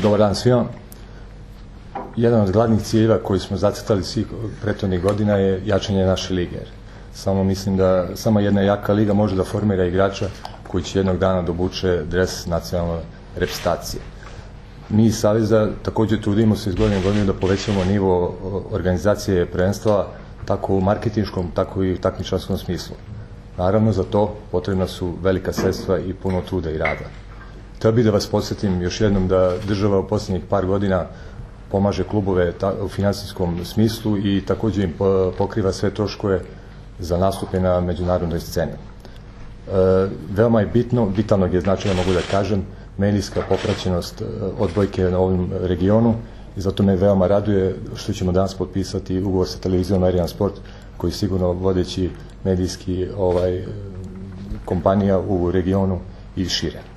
Dobar dan svima. Jedan od glavnih ciljeva koji smo zacrtali svih prethodnih godina je jačanje naše lige. Samo mislim da samo jedna jaka liga može da formira igrača koji će jednog dana da obuče dres nacionalne reprezentacije. Mi iz Saveza također trudimo se iz godine u godinu da povećamo nivo organizacije prvenstva tako u marketinškom, tako i u takmičarskom smislu. Naravno, za to potrebna su velika sredstva i puno truda i rada. Htio bih da vas podsjetim još jednom da država u posljednjih par godina pomaže klubove u finansijskom smislu i također im pokriva sve troškove za nastupe na međunarodnoj sceni. Veoma je vitalnog je značaja, mogu da kažem, medijska popraćenost odbojke na ovom regionu i zato me veoma raduje što ćemo danas potpisati ugovor sa televizijom Arian Sport, koji je sigurno vodeći medijski kompanija u regionu i šire.